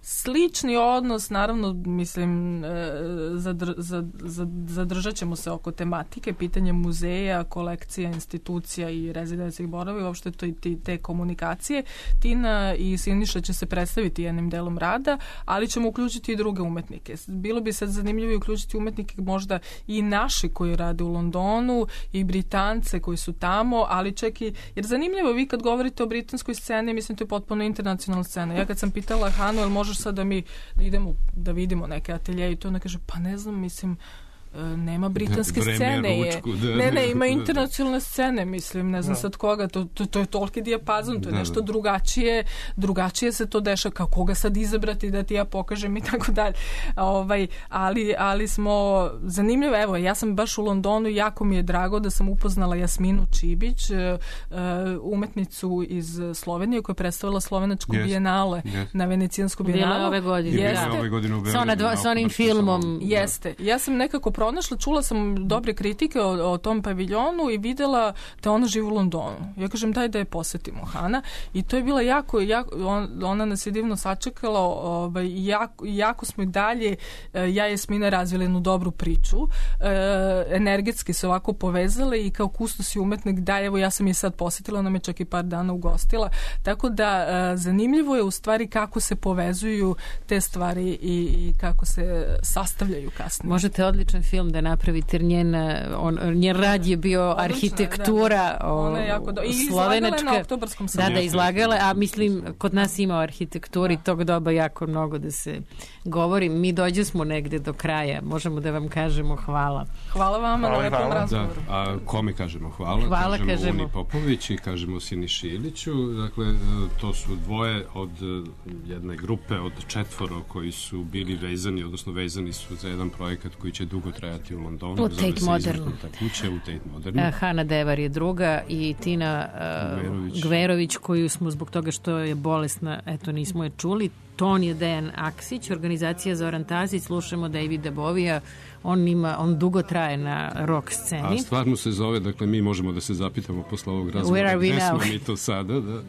slični odnos, naravno, mislim, zadržat ćemo se oko tematike, pitanje muzeja, kolekcija, institucija i rezidencijskih boravi, uopšte to i te komunikacije. Tina i Siniša će se predstaviti jednim delom rada, ali ćemo uključiti i druge umetnike. Bilo bi sad zanimljivo i uključiti umetnike možda i naši koji rade u Londonu i Britance koji su tamo, ali čak i, jer zanimljivo, vi kad govorite o britanskoj sceni, mislim, to je potpuno internacionalna scena. Ja kad sam pitala Hanu, jel možeš sad da mi idemo da vidimo neke atelje i to ona kaže, pa ne znam, mislim, nema britanske scene. Ne, ima internacionalne scene, mislim, ne znam sad koga, to je toliki dijapazon, to je nešto drugačije se to dešava, kao koga sad izabrati da ti ja pokažem i tako dalje. Ali smo zanimljivo, evo, ja sam baš u Londonu, jako mi je drago da sam upoznala Jasminu Čibić, umetnicu iz Slovenije koja je predstavila slovenačku bijenale na Venecijansku bijenalu. Ove godine. Sa onim filmom. Jeste. Ja sam nekako pronašla, čula sam dobre kritike o tom paviljonu i videla da ona živi u Londonu. Ja kažem, daj da je posetimo, Hana. I to je bila jako ona nas je divno sačekala, jako smo i dalje, ja i Jasmina razvili jednu dobru priču. Energetski se ovako povezale i kao kustos i umetnik, da, evo, ja sam je sad posetila, ona me čak i par dana ugostila. Tako da zanimljivo je u stvari kako se povezuju te stvari i kako se sastavljaju kasnije. Možete odličan film da napravite, njen rad je bio arhitektura slovenačka. Na Oktobarskom salonu. Da, izlagala, a mislim, kod nas ima o arhitekturi tog doba jako mnogo da se govori. Mi dođe smo negde do kraja. Možemo da vam kažemo hvala. Hvala vama na lepom razgovoru. A kome kažemo hvala? Kažemo Uni Popović i kažemo Siniši Iliću. Dakle, to su dvoje od jedne grupe od 4 koji su bili vezani, odnosno vezani su za jedan projekat koji će dugo trajati u Londonu. U Tate Modernu. U Tate Modernu. Hana Devar je druga i Tina Gverović, koju smo zbog toga što je bolesna, eto, nismo je čuli. Ton je Dejan Aksić, organizacija Zoran Tazić, slušamo Davida Bovija, on dugo traje na rock sceni. A stvarno se zove, dakle, mi možemo da se zapitamo posle ovog razgovora, gde smo mi to sada, da?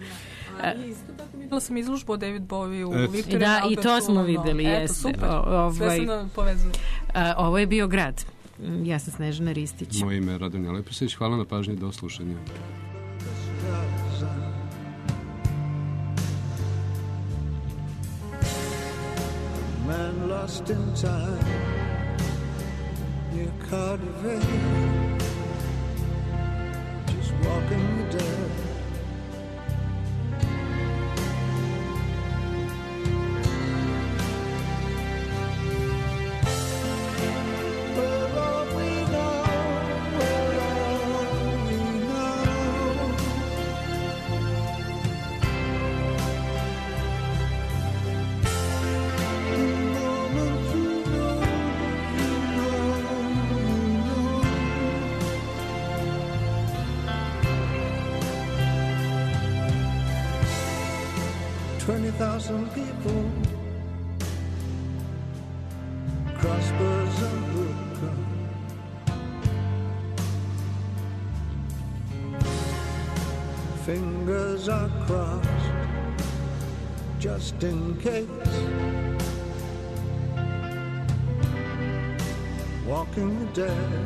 Isto tako videla sam izložbu o David Bowie u Victoria. Da, i to smo videli, jeste. Super, sve se nam povezuje. Ovo je bio Grad. Ja sam Snežana Ristić. Moje ime je Radonja Lepršić, hvala na pažnji, do slušanja. Man lost in time near Cardiff, just walking the dead. Thousand people, crossbows and Brooklyn, fingers are crossed just in case, walking the dead.